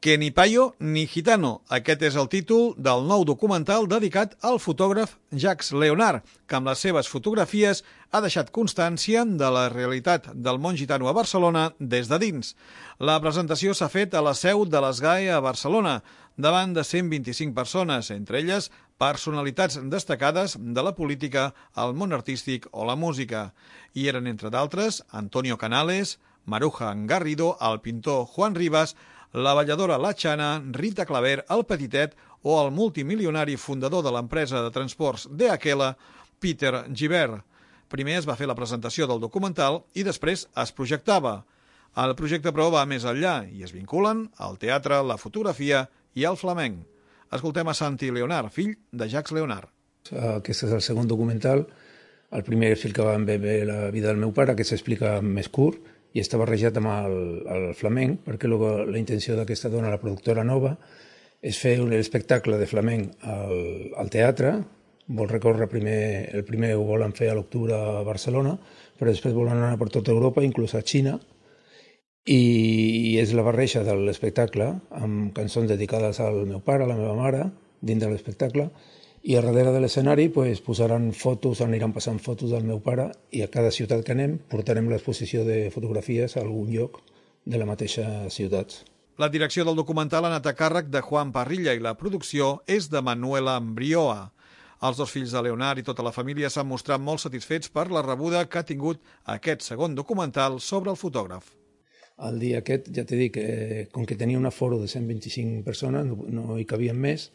Que ni payo ni gitano. Aquest és el títol del nou documental dedicat al fotògraf Jacques Léonard, que amb les seves fotografies ha deixat constància de la realitat del món gitano a Barcelona des de dins. La presentació s'ha fet a la seu de l'ESGAE a Barcelona, davant de 125 persones, entre elles personalitats destacades de la política, el món artístic o la música. Hi eren, entre d'altres, Antonio Canales, Maruja Garrido, el pintor Juan Rivas, la balladora La Chana, Rita Claver, el Petitet o el multimilionari fundador de l'empresa de transports DHL, Peter Gibert. Primer es va fer la presentació del documental i després es projectava. El projecte, però, va més enllà i es vinculen al teatre, la fotografia i el flamenc. Escoltem a Santi Leonard, fill de Jacques Léonard. Aquest és el segon documental. El primer és el que vam veure la vida del meu pare, que s'explica més curt, i està barrejat amb el flamenc, perquè la intenció d'aquesta dona, la productora nova, és fer un espectacle de flamenc al teatre. Vol recórrer el primer ho volen fer a l'octubre a Barcelona, però després volen anar per tota Europa, inclús a Xina, i és la barreja de l'espectacle amb cançons dedicades al meu pare, a la meva mare, dins de l'espectacle, i a darrere de l'escenari posaran fotos, aniran passant fotos del meu pare i a cada ciutat que anem portarem l'exposició de fotografies a algun lloc de la mateixa ciutat. La direcció del documental ha anat a càrrec de Juan Parrilla i la producció és de Manuela Ambrioa. Els dos fills de Leonard i tota la família s'han mostrat molt satisfets per la rebuda que ha tingut aquest segon documental sobre el fotògraf. El dia aquest, ja t'he dit, com que tenia un aforo de 125 persones, no hi cabien més,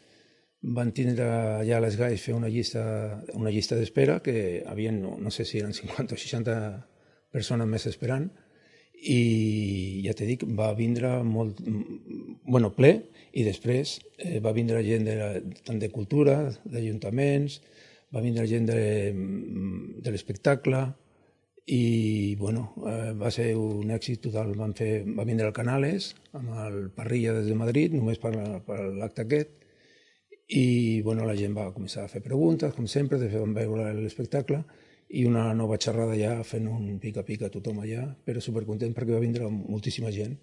van tindre allà a l'ESGAE fer una llista d'espera, que havien, no sé si eren 50 o 60 persones més esperant, i ja t'he dit, va vindre molt, ple, i després va vindre gent tant de cultura, d'ajuntaments, va vindre gent de l'espectacle, i va ser un èxit total. Va vindre el Canales, amb el Parrilla des de Madrid, només per l'acte aquest, i la gent va començar a fer preguntes, com sempre, vam veure l'espectacle i una nova xerrada ja fent un pica-pica a tothom allà, però supercontent perquè va vindre moltíssima gent.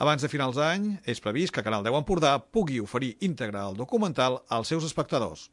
Abans de finals d'any és previst que Canal 10 Empordà pugui oferir íntegre el documental als seus espectadors.